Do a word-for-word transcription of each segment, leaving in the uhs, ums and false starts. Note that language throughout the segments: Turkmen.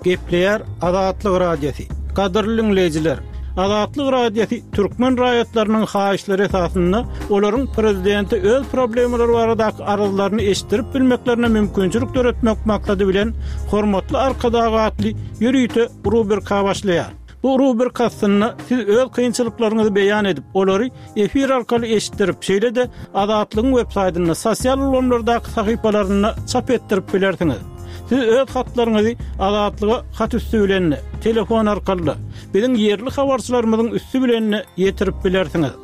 Gepleýär Azatlyk Radiosy. Gadyrly dinleýjiler, Azatlyk Radiosy türkmen raýatlarynyň haýyşlary esasynda olaryň prezidente öz problemalary baradaky arzlaryny eşitdirip bilmeklerine mümkinçilik döretmek maksady bilen Hormatly Arkadag atly ýörite rubrika başlaýar. Bu rubrika astynda siz öz kynçylyklaryňyzy beýan edip, olary efir arkaly eşitdirip, şeýle-de Azatlygyň web saýtynda, sosial ulgamlardaky sahypalarynda çap etdirip bilersiňiz. Siz öz hatlaryňyzy Azatlyga hat üsti bilen, telefon arkaly, biziň ýerli habarçylarymyzyň üsti bilen ýetirip bilersiňiz.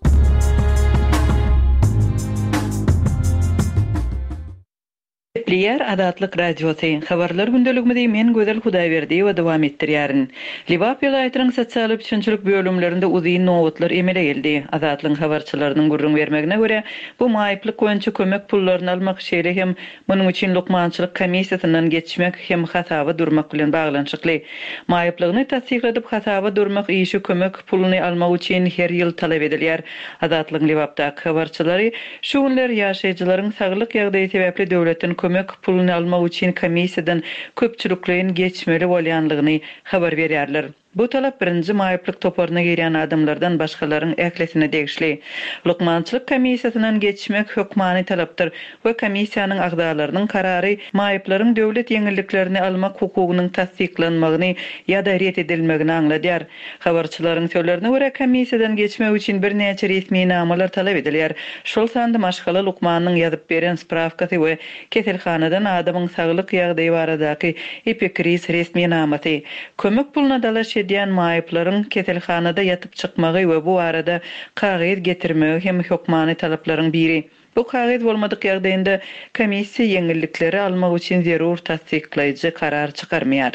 Gepleýär Azatlyk Radiosy. Habarlar gündeligimizi men Gözel Hudaýberdiýewa dowam etdirýärin. Lebap welaýatynyň sosial üpjünçilik bölümlerinde uzyn nobatlar emele geldi. Azatlygyň habarçylarynyň gürrüň bermegine görä, bu maýyplyk boýunça kömek pullaryny almak, şeýle hem munuň üçin lukmançylyk komissiýasyndan geçmek hem hasaba durmak bilen baglanyşykly. Maýyplygyny tassykladyp hasaba durmak işi kömek puluny almak üçin her ýyl talap edilýär. Azatlygyň Lebapdaky habarçylary şu günler ýaşaýjylaryň saglyk ýagdaýy sebäpli döwletden kömek puluny almak üçin komissiýadan köpçülikleýin geçmeli bolýanlygyny habar berýärler. Bu talap birinji maýyplyk toparyna girýän adamlardan başgalaryň ählisine degişli. Lukmançylyk komissiýasyndan geçmek hökmany talapdyr we komissiýanyň agzalarynyň karary maýyplaryň döwlet ýeňilliklerini almak hukugynyň tassyklanmagyny ýa-da ret edilmegini aňladýar. Habarçylaryň sözlerine görä komissiýadan geçmek üçin birnäçe resminamalar talap edilýär. Şol sanda maşgala lukmanynyň ýazyp beren sprawkasy we keselhanadan adamyň saglyk ýagdaýy baradaky epikriz resminamasy. Kömek puluna dalaş edýän maýyplaryň keselhanada ýatyp çykmagy we bu arada kagyz getirmegi hem hökmany talaplaryň biri. Bu kagyz bolmadyk ýagdaýynda komissiýa ýeňillikleri almak üçin zerur tassyklaýjy karar çykarmaýar.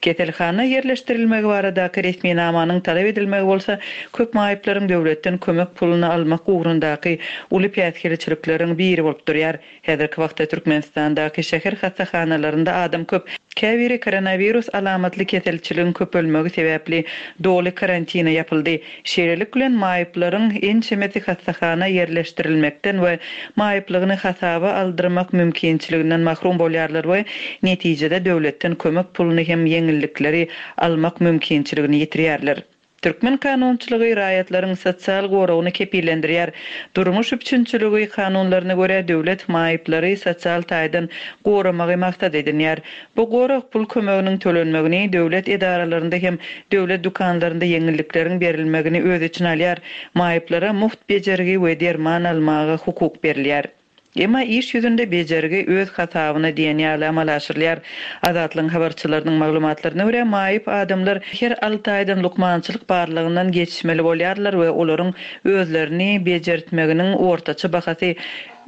Keselhana ýerleşdirilmegi baradaky resminamanyň talap edilmegi bolsa köp maýyplaryň döwletden kömek puluny almak ugrundaky uly päsgelçilikleriň biri bolup durýar. Häzirki wagtda Türkmenistandaky şäher hassahanalarynda adam köp. Käbiri koronawirus alamatly keselçiligiň köpelmegi sebäpli doly karantina ýapyldy. Şeýlelik bilen maýyplaryň ençemesi hassahana ýerleşdirilmekden we maýyplygyny hasaba aldyrmak mümkinçiliginden mahrum bolýarlar we netijede döwletden kömek puluny hem ýeňillikleri almak mümkinçiligini ýetirýärler. Türkmen kanunçylygy raýatlaryň sosial goragyny kepillendirýär. Durmuş üpjünçiligi kanunlaryna görä döwlet maýyplary sosial taýdan goramagy maksat edinýär. Bu gorag pul kömeginiň tölenmegini döwlet edaralarynda hem döwlet dükanlarynda ýeňillikleriň berilmegini öz içine alýar. Maýyplara mugt bejergi we derman almaga hukuk berilýär. Emma iş ýüzünde bejergi öz hasabyna diýen ýaly amala aşyrylýar. Azatlygyň habarçylarynyň maglumatlaryna görä maýyp adamlar her alty aýdan lukmançylyk barlygyndan geçmeli bolýarlar we olaryň özlerini bejertmeginiň ortaça bahasy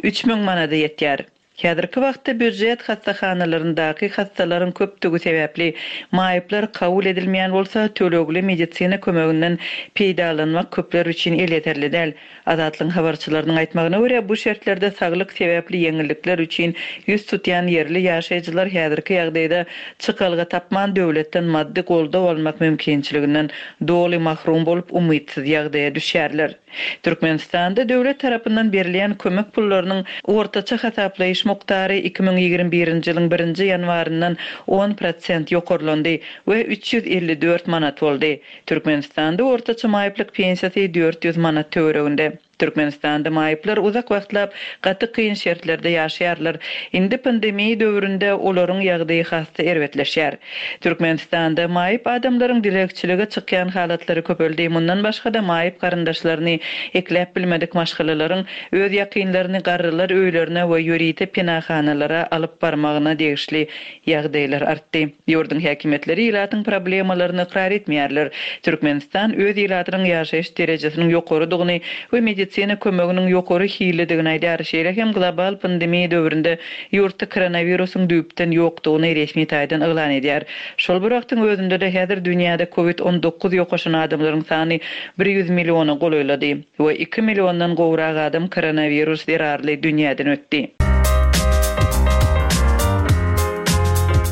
üç müň manada ýetýär. Häzirki wagtda býujet hassahanalaryndaky hassalaryň köpdügi sebäpli maýyplar kabul edilmeýän bolsa tölegli medisina kömeginden peýdalanmak köpler üçin elýeterli däl. Azatlygyň habarçylarynyň aýtmagyna görä bu şertlerde saglyk sebäpli ýeňillikler üçin ýüz tutýan ýerli ýaşaýjylar häzirki ýagdaýda çykalga tapman döwletden maddy goldaw almak mümkinçiliginden doly mahrum bolup umytsyz ýagdaýa düşýärler. Türkmenistanda döwlet tarapyndan berilýän kömek pullarynyň ortaça hasaplaýyş mukdary iki müň ýigrimi birinji ýylyň birinji ýanwaryndan on prosent ýokarlandy we üç ýüz elli dört manat boldy. Türkmenistanda ortaça maýyplyk pensiýasy dört ýüz manat töwereginde. Türkmenistanda maýyplar uzak wagtlap gaty kyn şertlerde ýaşaýarlar. Indi pandemiýa döwründe olaryň ýagdaýy has-da erbetleşýär. Türkmenistanda maýyp adamlaryň dilegçilige çykýan halatlary köpeldi. Mundan başga-da maýyp garyndaşlaryny ekläp bilmedik maşgalalaryň öz ýakynlaryny garrylar öýlerine we ýörite penahanalara alyp barmagyna degişli ýagdaýlar artdy. Ýurduň häkimiýetleri ilatyň problemalaryny ykrar etmeýärler. Türkmenistan öz ilatynyň ýaşaýyş derejesiniň ýokarydygyny we medisina kömeginiň ýokary hillidigini aýdar. Şeýle hem global pandemiýa döwründe ýurtda koronawirusyň düýpden ýokdugyny resmi taýdan yglan edýär. Şol bir wagtyň özünde-de häzir dünýäde COVID on dokuz ýokaşan adamlaryň sany bir ýüz milliona golaýlady we iki milliondan gowrak adam koronawirus zerarly dünýäden ötdi.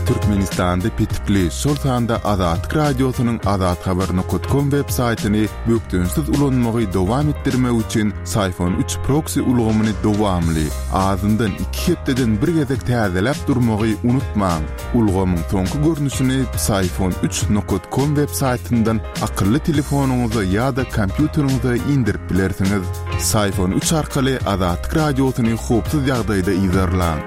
Türkmenistan Türkmenistanda petikli, şol sanda Azatlyk Radiosynyň azathabar nokat kom web saýtyny bökdençsiz ulanmagy dowam etdirmek üçin Psiphon üç proksi ulgamyny dowamly, azyndan iki hepdeden bir gezek täzeläp durmagy unutmaň. Ulgamyň soňky görnüşini Psiphon üç nokat kom web saýtyndan akylly telefonyňyza ýa-da kompýuteriňize indirip bilersiňiz. Psiphon üç arkaly Azatlyk Radiosyny howpsuz ýagdaýda yzarlaň.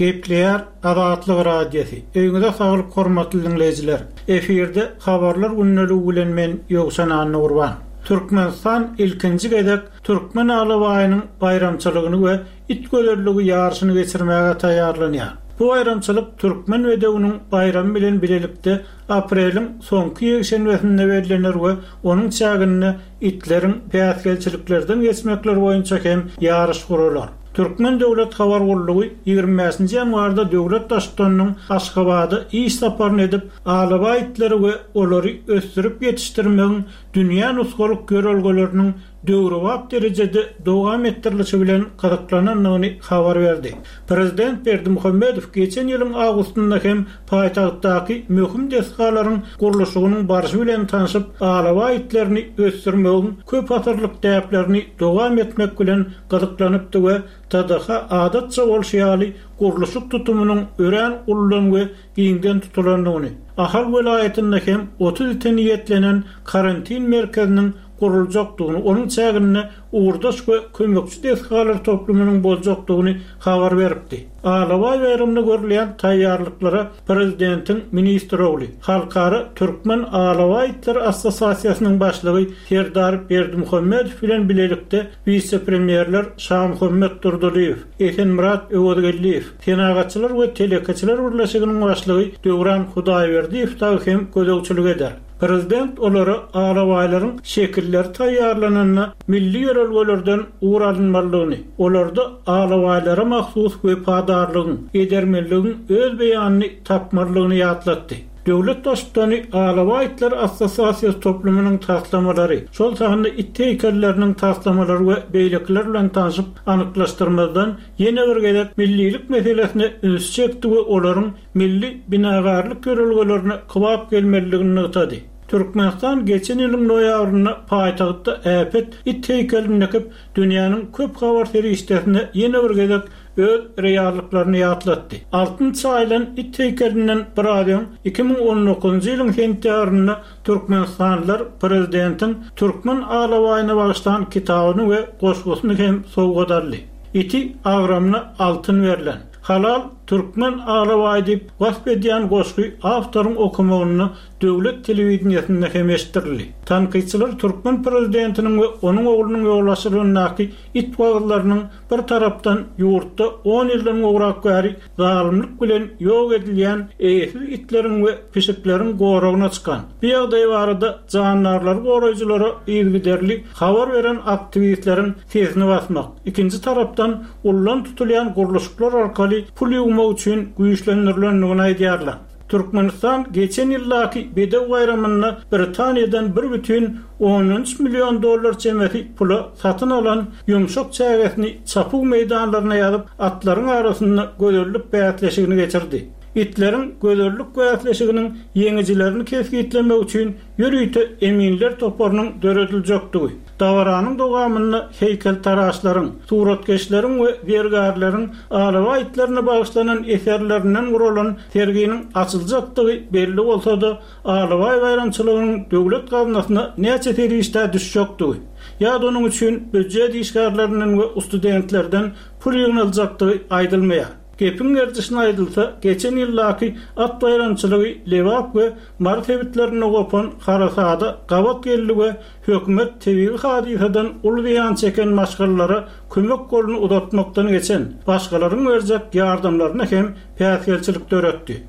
Gepleýär Azatlyk Radiosy. Öýüňize saglyk hormatly dinleýjiler. Efirde habarlar gündeligi bilen men Ýowşan Annagurban. Türkmenistan ilkinji gezek Türkmen alabaýynyň baýramçylygyny we it gözelligi ýaryşyny geçirmäge taýýarlanýar. Bu baýramçylyk Türkmen bedewiniň baýramy bilen bilelikde apreliň soňky ýekşenbesinde bellenir we onuň çäginde itleriň päsgelçiliklerden geçmekleri boýunça hem ýaryş guralar. Türkmen Döwlet Habar Gullugy ýigrimi bäşinji ýanwarda döwlet baştutanynyň Aşgabada iş saparyny edip, alabaý itleri we olary ösdürip ýetişdirmegiň dünýä nusgalyk ýörelgeleriniň döwrebap derejede dowam etdirilişi bilen gyzyklanandygyny habar berdi. Prezident Berdimuhamedow geçen ýylyň awgustynda hem paýtagtdaky möhüm desgalaryň gurluşygynyň barşy bilen tanşyp, alabaý itlerini ösdürmegiň köp asyrlyk däplerini dowam etmek bilen gyzyklanypdy we T D H adatça bolşy ýaly gurluşyk tutumynyň örän uludan we giňden tutulandygyny, Ahal welaýatynda hem otuz ite niýetlenen karantin merkeziniň guruljakdygyny, onuň çäginde ugurdaş we kömekçi desgalar toplumynyň boljakdygyny habar beripdi. Alabaý baýramynda görülýän taýýarlyklara prezidentiň ministr ogly, Halkara Türkmen Alabaý itleri assosiasiýasynyň başlygy Serdar Berdimuhamedow bilen bilelikde wise-premýerler Şamuhammet Durdylyýew, Esenmyrat Öwezgeldiýew, Senagatçylar we telekeçiler birleşiginiň başlygy Döwran Hudaýberdiýew dagy hem gözegçilik eder. Prezident olara alabaýlaryň şekilleri taýýarlananda milli ýörelgelerden ugur alynmalydygyny, olarda alabaýlara mahsus wepadarlygyň, edermenligiň öz beýanyny tapmalydygyny ýatlatdy. Döwlet baştutany Alabaý itleri assosiasiýasy toplumynyň taslamalary, şol sanda it heýkelleriniň taslamalary we beýlekiler bilen tanşyp, anyklaşdyrmazdan ýene bir gezek millilik meselesine üns çekdi we olaryň milli binagarlyk ýörelgelerine kybap gelmelidigini nygtady. Türkmenistan geçen ýylyň noýabrynda paýtagtda äpet it heýkelini dikip, dünýäniň köp habar serişdesine ýene bir gezek öz reallyklaryny ýatlatdy. Altyn çaýylan it heýkelinden bir aý öň iki müň on dokuzynjy ýylyň sentýabrynda Türkmenistanlylar prezidentiň Türkmen alabaýyna bagyşlan kitabyny we goşgusyny hem sowgat aldy. Iti agramyna altyn berlen, halal Türkmen alabaýy diýip wasp edýän goşgy awtoryň okumagynda döwlet telewideniýesinde hem eşitdirildi. Tankytçylar Türkmen prezidentiniň we onuň oglunyň ýolbaşçylygyndaky it wagyzlarynyň bir tarapdan ýurtda on ýyldan gowrak bäri zalymlyk bilen ýok edilýän eýesiz itleriň we pişikleriň goragyna çykan, bu ýagdaý barada jandarlary goraýjylara yzygiderli habar beren aktiwistleriň sesini basmak, ikinji tarapdan ullan tutulýan gurluşyklar arkaly pul ýugmak üçin güýçlendirilendigini aýdýarlar. Türkmenistan geçen ýyldaky bedew baýramynda Britaniýadan bir bütin ondan üç million dollar çemesi pula satyn alan ýumşak çägesini çapuw meýdanlaryna ýazyp, atlaryň arasynda gözellik bäsleşigini geçirdi. Itleriň gözellik bäsleşiginiň ýeňijilerini kesgitlemek üçin ýörite eminler toparynyň dörediljekdigi, dabaranyň dowamynda heýkeltaraşlaryň, suratkeşleriň we zergärleriň alabaý itlerine bagyşlanan eserlerinden guralan serginiň açyljakdygy belli bolsa-da, alabaý baýramçylygynyň döwlet gaznasyna näçe serişdä düşjekdigi, ýa-da onuň üçin býujet işgärlerinden we studentlerden pul ýygnaljakdygy aýdylmaýar. Gepiň gerdişine aýdylsa, geçen ýyldaky at baýramçylygy Lebap we Mary sebitlerinde gopan harasada gabat geldi we hökümet tebigy hadysadan uly zyýan çeken maşgalalara kömek goluny uzatmakdan geçen, başgalaryň berjek ýardamlaryna hem päsgelçilik döretdi.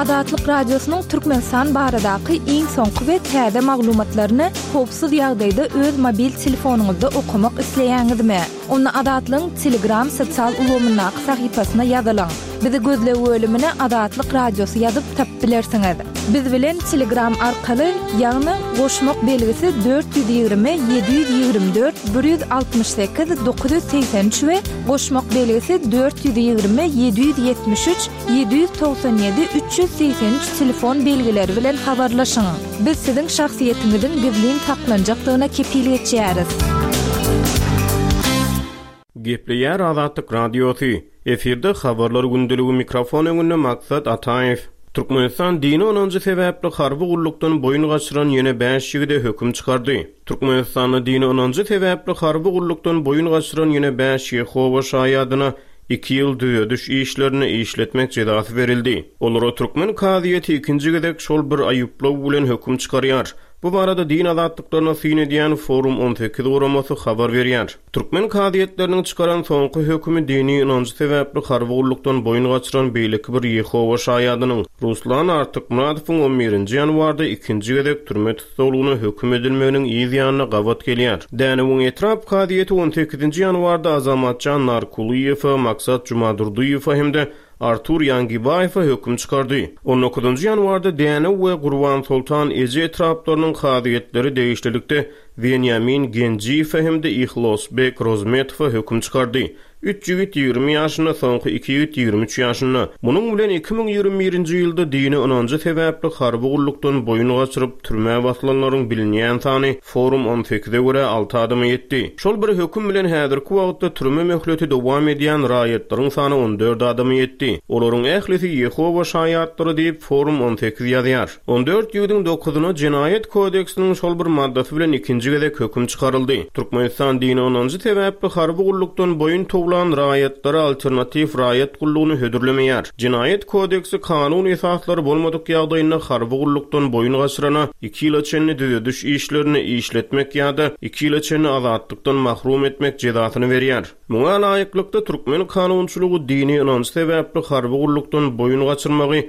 Azatlyk Radiosynyň Türkmenistan baradaky iň soňky we täze maglumatlaryny howpsuz ýagdaýda öz mobil telefonyňyzda okamak isleýäňizmi? Onda Azatlygyň Telegram sosial ulgamyndaky sahypasyna ýazylyň. Bizi gözleg bölümine Azatlyk Radiosy ýazyp tapyp bilersiňiz. Biz bilen Telegram arkaly, ýagny goşmak belgisi dört ýüz ýigrimi ýedi ýüz ýigrimi dört bir ýüz altmyş sekiz dokuz ýüz segsen üç we goşmak belgisi dört ýüz ýigrimi ýedi ýüz ýetmiş üç ýedi ýüz togsan ýedi üç ýüz segsen üç telefon belgileri bilen habarlaşyň. Biz siziň şahsyýetiňiziň gizlin saklanjakdygyna kepil geçýäris. Gepleýär Azatlyk Radiosy. Efirde habarlar gündeligi mikrofon öňünde Maksat Ataýew. Türkmenistan dini ynanjy sebäpli harby gullukdan boýun gaçyran ýene bäş ýigide höküm çykardy. Türkmenistanda dini ynanjy sebäpli harby gullukdan boýun gaçyran ýene bäş Ýehowa şaýadyna iki ýyl düzediş işlerini işletmek jezasy berildi. Olara türkmen kazyýeti ikinji gezek şol bir aýyplaw bilen höküm çykarýar. Bu barada din azatlyklaryna syn edýän Forum on sekiz guramasy habar berýär. Türkmen kazyýetleriniň çykaran soňky hökümi dini ynanjy sebäpli harby gullukdan boýun gaçyran beýleki bir Ýehowa şaýadynyň Ruslan Artykmyradowyň on birinji ýanwarda ikinji gezek türme tussaglygyna höküm edilmeginiň yz ýanyna gabat gelýär. Dänewiň etrap kazyýeti on sekizinji ýanwarda Azamatjan Narkulyýewa, Maksat Jumadurdyýewa hem-de Artur Ýangibaýewe höküm çykardy. on dokuzynjy ýanwarda Dänew we Gurban Sultan Eje etraplarynyň kazyýetleri degişlilikde Wenýamin Genjiýewe hem-de Ihlosbek Rozmetowa höküm çykardy. Üç ýigit ýigrimi ýaşynda, soňky iki ýigit ýigrimi üç ýaşynda. Munuň bilen iki müň ýigrimi birinji ýylda dini ynanjy sebäpli harby gullukdan boýun gaçyryp türmä basylanlaryň bilinýän sany Forum on sekize görä alty adama ýetdi. Şol bir höküm bilen häzirki wagtda türme möhleti dowam edýän raýatlaryň sany on dört adama ýetdi. Olaryň ählisi Ýehowa şaýatlary diýip Forum on sekiz ýazýar. On dört ýigidiň dokuzyna jenaýat kodeksiniň şol bir maddasy bilen ikinji gezek höküm çykaryldy. Türkmenistan dini ynanjy sebäpli harby gullukdan boýun towlan raýatlara alternatiw raýat gullugyny hödürlemeýär. Jenaýat kodeksi kanun esaslary bolmadyk ýagdaýynda harby gullukdan boýun gaçyrana iki ýyla çenli düzediş işlerini işletmek ýa-da iki ýyla çenli azatlykdan mahrum etmek jezasyny berýär. Muňa laýyklykda türkmen kanunçylygy dini ynanç sebäpli harby gullukdan boýun gaçyrmagy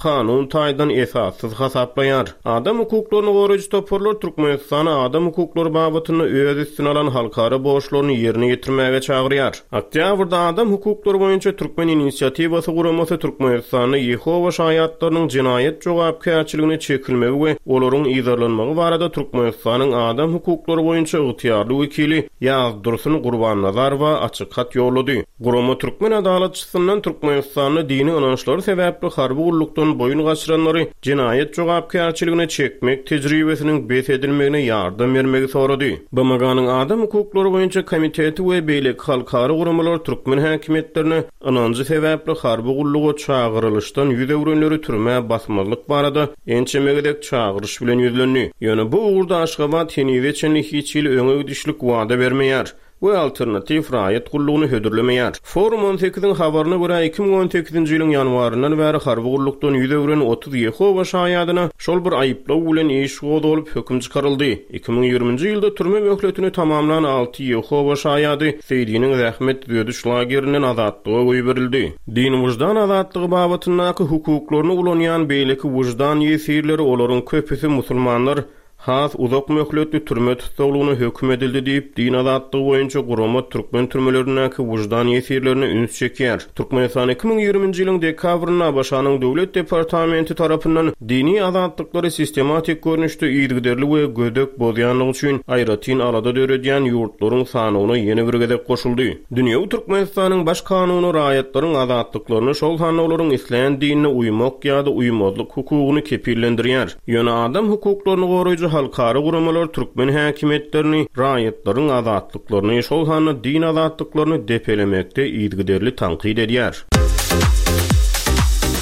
kanun taýdan esassyz hasaplaýar. Adam hukuklaryny goraýjy toparlar Türkmenistana adam hukuklary babatynda öz üstüne alan halkara borçlaryny ýerine ýetirmäge çagyrýar. Oktýabrda adam hukuklary boýunça Türkmen inisiatiwasy guramasy Türkmenistanda Ýehowa şaýatlarynyň jenaýat jogapkärçiligine çekilmegi we olaryň yzarlanmagy barada Türkmenistanyň adam hukuklary boýunça ygtyýarly wekili Ýazdursun Gurbannazarowa açyk hat ýollady. Gurama türkmen adalatçysyndan Türkmenistanda dini ynançlary sebäpli harby gullukdan boýun gaçyranlary jenaýat jogapkärçiligine çekmek tejribesiniň bes edilmegine ýardam bermegi sorady. B M G-nyň adam hukuklary boýunça komiteti we beýleki halkara guramalar türkmen häkimiýetlerine ynanjy sebäpli harby gulluga çagyrylyşdan ýüz öwrenleri türmä basmazlyk barada ençeme gezek çagyryş bilen ýüzlendi. Ýöne bu ugurda Aşgabat henize çenli hiç hili öňe gidişlik wada bermeýär we alternatiw raýat gullugyny hödürlemeýär. Forum on sekiziň habaryna görä iki müň on sekizinji ýylyň ýanwaryndan bäri harby gullukdan ýüz öwren otuz Ýehowa şaýadyna şol bir aýyplaw bilen iş gozgalyp höküm çykaryldy. Iki müň ýigriminji ýylda türme möhletini tamamlan alty Ýehowa şaýady Seýdiniň zähmet düzediş lagerinden azatlyga goýberildi. Din wyždan azatlygy babatyndaky hukuklaryny ulanýan beýleki wyždan ýesirleri olaryň köpüsi musulmanlar has uzak möhletli türme tussaglygyna höküm edildi diýip, din azatlygy boýunça gurama türkmen türmelerindäki wyždan ýesirlerine üns çekýär. Türkmenistan iki müň ýigriminji ýylyň dekabrynda A B Ş-nyň Döwlet departamenti tarapyndan dini azatlyklary sistematik görnüşde yzygiderli we gödek bozýanlygy üçin aýratyn alada döredýän ýurtlaryň sanyna ýene bir gezek goşuldy. Dünýewi Türkmenistanyň baş kanuny raýatlaryň azatlyklaryny şol sanda olaryň islän dinine uýmak ýa-da uýmazlyk hukugyny kepillendirýär. Ýöne adam hukuklaryny goraýjy halkara guramalar türkmen häkimiýetlerini raýatlaryň azatlyklaryny, şol sanda din azatlyklaryny depelemekde yzygiderli tankyt edýär.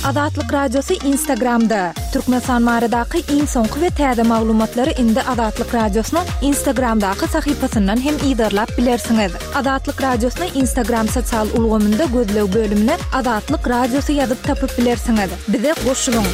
Azatlyk Radiosy Instagramda. Türkmenistan baradaky iň soňky we täze maglumatlary indi Azatlyk Radiosynyň Instagramdaky sahypasyndan hem yzarlap bilersiňiz. Azatlyk Radiosyny Instagram sosial ulgamynda gözleg bölümine Azatlyk Radiosy ýazyp tapyp bilersiňiz. Bize goşulyň.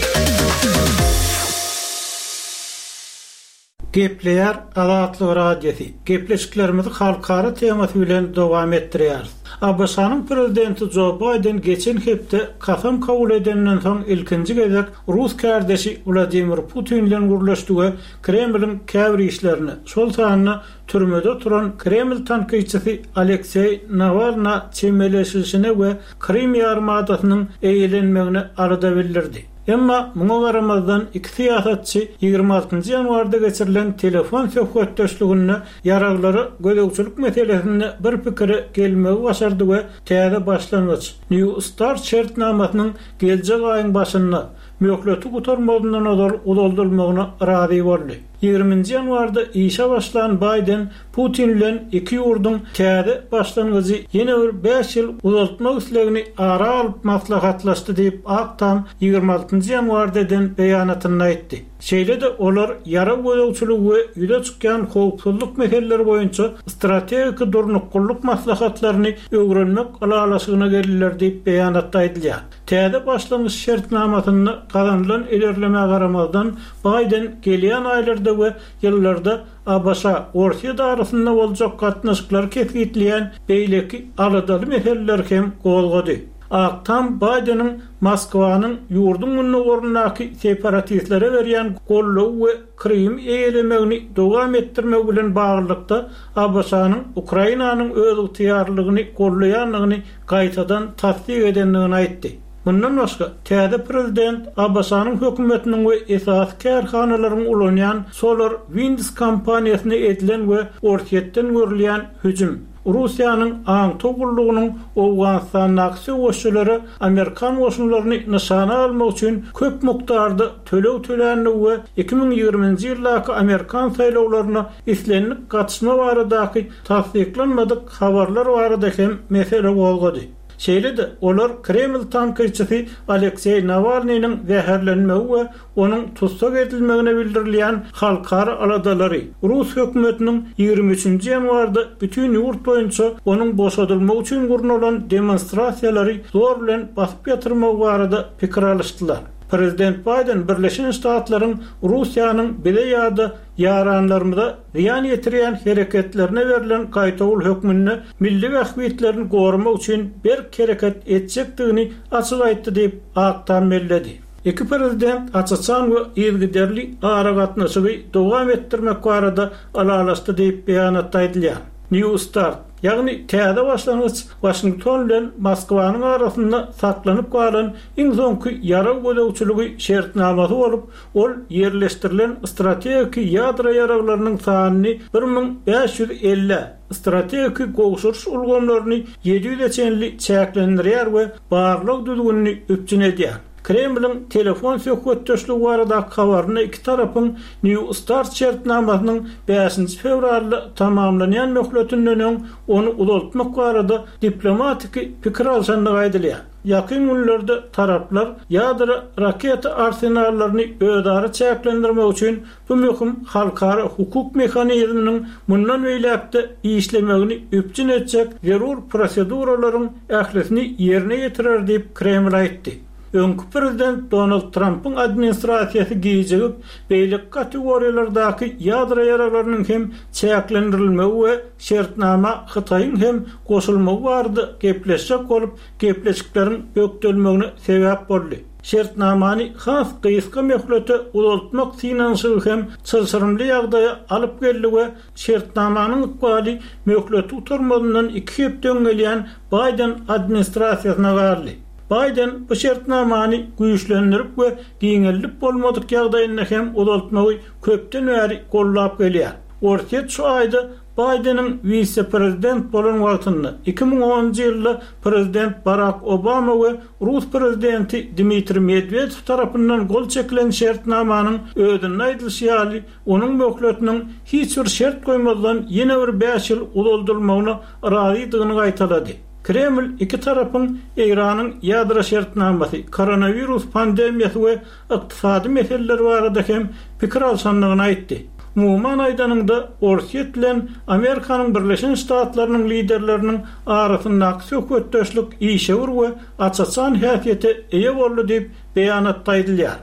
Gepleýär Azatlyk Radiosy. Gepleşiklerimizi halkara temasy bilen dowam etdirýäris. ABŞ-nyň prezidenti Jo Baýden geçen hepde kasam kabul edenden soň ilkinji gezek rus kärdeşi Wladimir Putin bilen gürleşdi we Kremliň käbir işlerini, şol sanda türmede oturan Kreml tankytçysy Alekseý Nawalna çemeleşilişine we Krym ýarymadasynyň eýelenmegine alada bildirdi. Emma muňa garamazdan iki syýasatçy ýigrimi altynjy ýanwarda geçirilen telefon söhbetdeşliginde ýaraglara gözegçilik meselesinde bir pikire gelmegi başardy we täze başlangyç, New START şertnamasynyň geljek aýyň başynda, möhleti gutarmazyndan ozal uzaldylmagyna razy boldy. Ýigriminji ýanwarda işe başlan Baýden Putin bilen iki ýurduň täze başlangyjy ýene bir bäş ýyl uzaltmak islegini ara alyp maslahatlaşdy diýip, Ak Tam ýigrimi altynjy ýanwarda eden beýanatynda aýtdy. Şeýle-de olar ýarag gözegçiligi we ýüze çykýan howpsuzlyk meseleleri boýunça strategiki durnuklylyk maslahatlaryny öwrenmek ylalaşygyna geldiler diýip, beýanatda aýdylýar. Täze başlangyç şertnamasynda gazanylan ilerlemä garamazdan, Baýden gelýän aýlarda we ýyllarda ABŞ-Orsýet arasynda boljak gatnaşyklary kesgitleýän beýleki aladaly meseleleri hem gozgady. Ak Tam Baýdeniň Moskwanyň ýurduň gündogaryndaky separatistlere berýän goldawy we Krymy eýelemegini dowam etdirmegi bilen baglylykda ABŞ-nyň Ukrainanyň özygtyýarlylygyny goldaýandygyny gaýtadan tassyk edendigini aýtdy. Mundan başga, täze prezident ABŞ-nyň hökümetiniň we esasy kärhanalaryň ulanýan SolarWinds kompaniýasyna edilen we Orsýetden görülýän hüjüm, Russiýanyň aňtaw gullugynyň Owganystandaky söweşçilere amerikan goşunlaryny nyşana almak üçin köp mukdarda töleg töländigi we iki müň ýigriminji ýyldaky amerikan saýlawlaryna islendik gatyşma baradaky tassyklanmadyk habarlar barada hem mesele gozgady. Şeýle-de, olar Kreml tankytçysy Alekseý Nawalnynyň zäherlenmegi we onuň tussag edilmegine bildirilýän halkara aladalary, rus hökümetiniň ýigrimi üçünji ýanwarda bütin ýurt boýunça onuň boşadylmagy üçin gurnalan demonstrasiýalary zor bilen basyp ýatyrmagy barada pikir alyşdylar. Prezident Baýden Birleşen Ştatlaryň Russiýanyň bize ýa-da ýaranlarymyza zyýan ýetirýän hereketlerine berlen gaýtawul hökmünde milli bähbitlerini goramak üçin berk hereket etjekdigini açyk aýtdy diýip, Ak Tam belledi. Iki prezident aç-açan we yzygiderli aragatnaşygy dowam etdirmek barada ylalaşdy diýip, beýanatda aýdylýar. New Start, ýagny täze başlangyç Waşington bilen Moskwanyň arasynda saklanyp galan iň soňky ýarag gözegçiligi şertnamasy bolup, ol ýerleşdirilen strategiki ýadro ýaraglarynyň sanyny bir müň bäş ýüz ellä, strategiki gowşuryş ulgamlaryny ýedi ýüze çenli çäklendirýär we barlag düzgünini üpjün edýär. Kremliň telefon söhbetdeşligi baradaky habarynda iki tarapyň New Start şertnamasynyň bäşinji fewralda tamamlanýan möhletinden öň ony uzaltmak barada diplomatiki pikir alşandygy aýdylýar. Ýakyn günlerde taraplar ýadro raketa arsenallaryny özara çäklendirmek üçin bu möhüm halkara hukuk mehanizminiň mundan beýläk-de işlemegini üpjün etjek zerur proseduralaryň ählisini ýerine ýetirer diýip, Kreml aýtdy. Öňki prezident Donald Trampyň administrasiýasy gijigip, beýleki kategoriýalardaky ýadro ýaraglarynyň hem çäklendirilmegi we şertnama Hytaýyň hem goşulmagy barada gepleşjek bolup, gepleşikleriň bökdelmegine sebäp boldy. Şertnamany has gysga möhlete uzaltmak synanyşygy hem çylşyrymly ýagdaýa alyp geldi we şertnamanyň ykbaly möhleti gutarmazyndan iki hepde öň gelýän Baýden administrasiýasyna galdy. Baýden bu şertnamany güýçlendirip we giňeldip bolmadyk ýagdaýynda hem uzaltmagy köpden bäri goldap gelýär. Orsýet şu aýda Baýdeniň wise-prezident bolan wagtynda, iki müň onunjy ýylda prezident Barak Obama we rus prezidenti Dmitriý Medwedew tarapyndan gol çekilen şertnamanyň özünde aýdylyşy ýaly, onuň möhletiniň hiç bir şert goýmazdan ýene bir bäş ýyl uzaldylmagyna razydygyny gaýtalady. Kreml iki tarapyň Eýranyň ýadro şertnamasy, koronawirus pandemiýasy we ykdysady meseleler barada hem pikir alşandygyny aýtdy. Umuman aýdanyňda, Orsýet bilen Amerikanyň Birleşen Ştatlarynyň liderleriniň arasyndaky söhbetdeşlik işewür we aç-açan häsiýete eýe boldy diýip, beýanatda aýdylýar.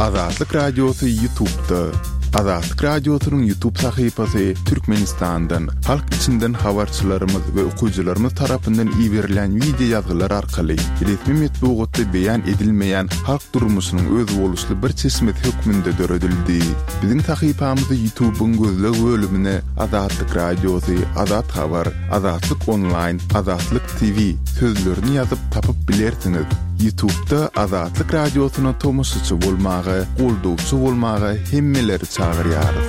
Azatlyk Radiosy YouTube'da. Azatlyk Radiosynyň YouTube sahypasy Türkmenistandan, halk içinden habarçylarymyz we okyjylarymyz tarapyndan iberilen wideo ýazgylar arkaly resmi metbugatda beýan edilmeýän halk durmuşynyň özboluşly bir çeşmesi hökmünde döredildi. Biziň sahypamyzy YouTube'yň gözleg bölümine Azatlyk Radiosy, Azat Habar, Azatlyk Online, Azatlyk T V sözlerini ýazyp tapyp bilersiňiz. YouTube'da Azatlyk Radiosyna tomaşaçy bolmaga, goldawçy bolmaga hemmeleri çagyrýarys.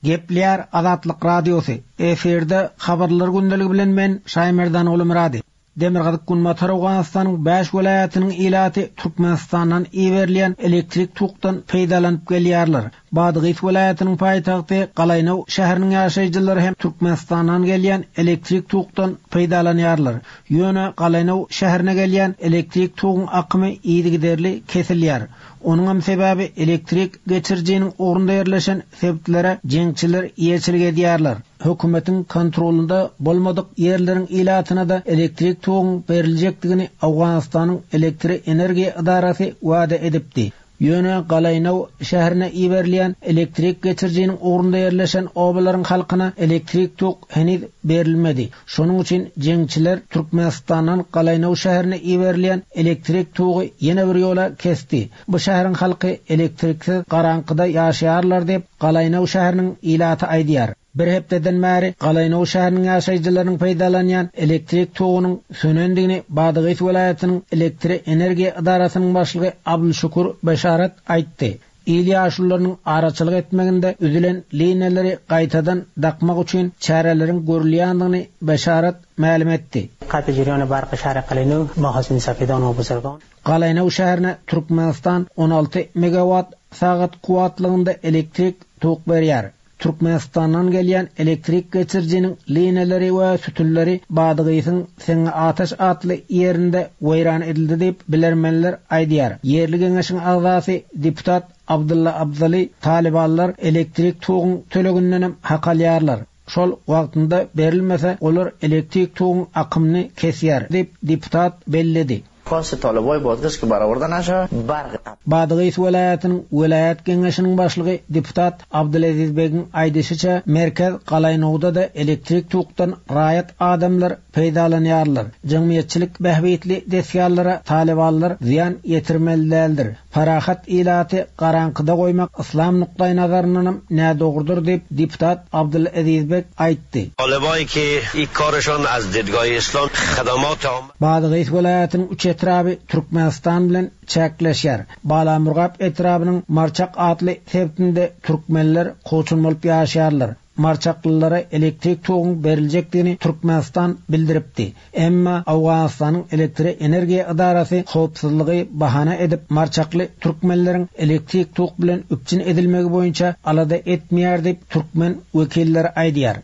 Gepleýär Azatlyk Radiosy. Efirde habarlar gündeligi bilen men Şaýmerdan Ogulmyrady. Demirgazyk Günbatar Owganystanyň bäş welaýatynyň ilaty Türkmenistandan iberilýän elektrik tokdan peýdalanyp gelýärler. Badgys welaýatynyň paýtagty Galaýnow şäheriniň ýaşaýjylary hem Türkmenistandan gelýän elektrik tokdan peýdalanýarlar. Ýöne Galaýnow şäherine gelýän elektrik toguň akymy yzygiderli kesilýär. Onuň hem sebäbi elektrik geçirijiniň ugrunda ýerleşen sebitlere jeňçiler eýeçilik edýärler. Hökümetiň kontrolunda bolmadyk ýerleriň ilatyna da elektrik toguň beriljekdigini Owganystanyň elektrik energiýa edarasy wada edipdi. Ýöne Galaýnow şäherine iberilýän elektrik geçirijiniň ugrunda ýerleşen obalaryň halkyna elektrik tok heniz berilmedi. Şonuň üçin jeňçiler Türkmenistandan Galaýnow şäherine iberilýän elektrik togy ýene bir ýola kesdi. Bu şäheriň halky elektriksiz garaňkyda ýaşaýarlar diýip Galaýnow şäheriniň ilaty aýdýar. Bir hepdeden bäri Galaýnow şäheriniň ýaşaýjylarynyň peýdalanýan elektrik togunyň sönendigini Badgys welaýatynyň elektrik energiýa edarasynyň başlygy Abdulşukur Beşarat aýtdy. Il ýaşlylarynyň araçylyk etmeginde üzülen liniýalary gaýtadan dakmak üçin çäreleriň görülýändigini Beşarat mälim etdi. Qat'i jeriýany barqy şäheri Galaýnow mahasin safedan we buzurgan. Galaýnow şäherine Türkmenistan on alty megawatt sagat kuwwatlygynda elektrik tok berýär. Türkmenistandan gelýän elektrik geçirijiniň liniýalary we sütünleri Badgysyň Seňňe Ataş atly ýerinde weýran edildi diýip bilermenler aýdýar. Ýerli geňeşiň agzasy deputat Abdulla Abdali talibanlar elektrik toguň töleginden hem hak alýarlar. Şol wagtynda berilmese olar elektrik toguň akymyny kesýär diýip deputat belledi. Kosy toleboý Badgys ki barabardan aşa barg. Badgys welaýatynyň welaýat geňeşiniň başlygy deputat Abdulaziz Begiň aýdyşyça merkez Galaýnowda da elektrik tokdan raýat adamlar peýdalanýarlar. Jemgyýetçilik bähbitli desgalara talibanlar zyýan ýetirmeli däldir. Parahat ilaty garaňkyda goýmak islam nukdaý nazaryndan hem nädogrudyr diýip deputat Abdulaziz Beg aýtdy. Toleboý ki ikkarşon az didgaý islam xadamat am. Badgys welaýatynyň üç etraby Türkmenistan bilen çäkleşýär. Balamurgap etrabynyň Marçak atly sebitinde türkmenler koçun bolup ýaşaýarlar. Marçaklylara elektrik toguň beriljekdigini Türkmenistan bildiripdi. Emma Owganystanyň elektrik energiýa edarasy howpsuzlygy bahana edip Marçakly türkmenleriň elektrik tok bilen üpjün edilmegi boýunça alada etmeýär diýip türkmen wekilleri aýdýar.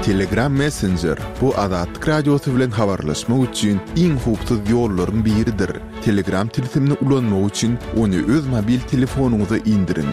Telegram Messenger bu Azatlyk Radiosy bilen habarlaşmak üçin iň howpsuz ýollaryň biridir. Telegram tilsimini ulanmak üçin ony öz mobil telefonyňyza indiriň.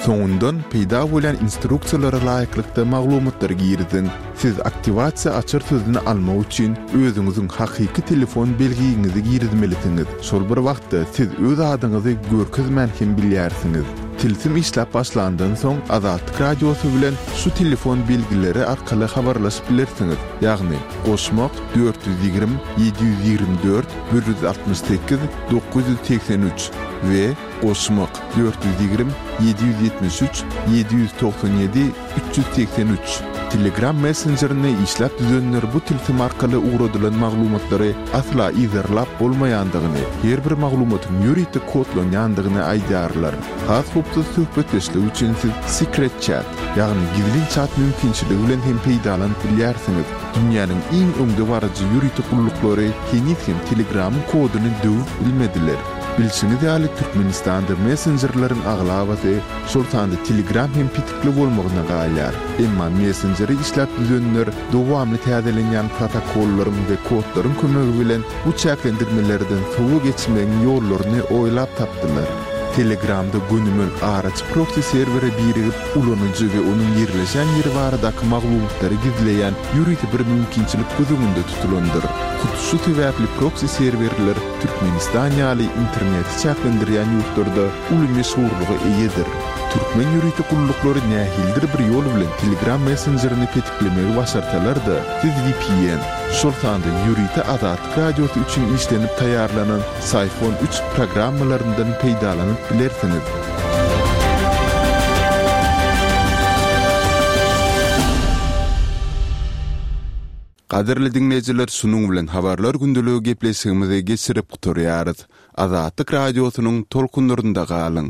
Soňundan peýda bolan instruksiýalara laýyklykda maglumatlary giriziň. Siz aktiwasiýa açar sözüni almak üçin özüňiziň hakyky telefon belgiňizi girizmelisiňiz. Şol bir wagtda siz öz adyňyzy görkezmän hem bilýärsiňiz. Tilsim işläp başlandan soň Azatlyk Radiosy bilen şu telefon belgileri arkaly habarlaşyp bilersiňiz. Ýagny goşmak dört ýüz ýigrimi, ýedi ýüz ýigrimi dört, bir ýüz altmyş sekiz, dokuz ýüz segsen üç we goşmak dört ýüz ýigrimi, ýedi ýüz ýetmiş üç, ýedi ýüz togsan ýedi, üç ýüz segsen üç. Telegram Messengerini işläp düzenler bu tilsim arkaly ugradylan maglumatlary asla yzarlap bolmaýandygyny, her bir maglumatyň ýörite kodlanýandygyny aýdýarlar. Has howpsuz söhbetdeşlik üçin siz Secret Chat, ýagny gizlin chat mümkinçiligi bilen hem peýdalanyp bilýärsiňiz. Dünýäniň iň öňdebaryjy ýörite gulluklary heniz hem Telegramyň koduny döwüp bilmediler. Bilşiňiz ýaly Türkmenistanda messenjerleriň aglabasy, şol sanda Telegram hem petikli bolmagyna galýar. Emma messengeri işläp düzenler dowamly täzelenýän protokollaryň we kodlaryň kömegi bilen bu çäklendirmelerden sowa geçmegiň ýollaryny oýlap tapdylar. Telegramda gönümel araçy proksi serwere birigip, ulanyjy we onuň ýerleşen ýeri baradaky maglumatlary gizleýän ýörite bir mümkinçilik göz öňünde tutulandyr. Hut şu sebäpli proksi serwerler Türkmenistan ýaly interneti çäklendirýän ýurtlarda uly meşhurlyga eýedir. Türkmen ýörite gulluklary nähilidir bir ýol bilen Telegram messenjerini petiklemegi başarsalar-da, siz V P N, şol sanda ýörite Azatlyk Radiosy üçin işlenip taýýarlanan Psiphon üç programmalaryndan peýdalanyp bilersiňiz. Gadyrly diňleýjiler, şunuň bilen habarlar gündeligi gepleşigimizi geçirip gutarýarys. Azatlyk Radiosynyň tolkunlarynda galyň.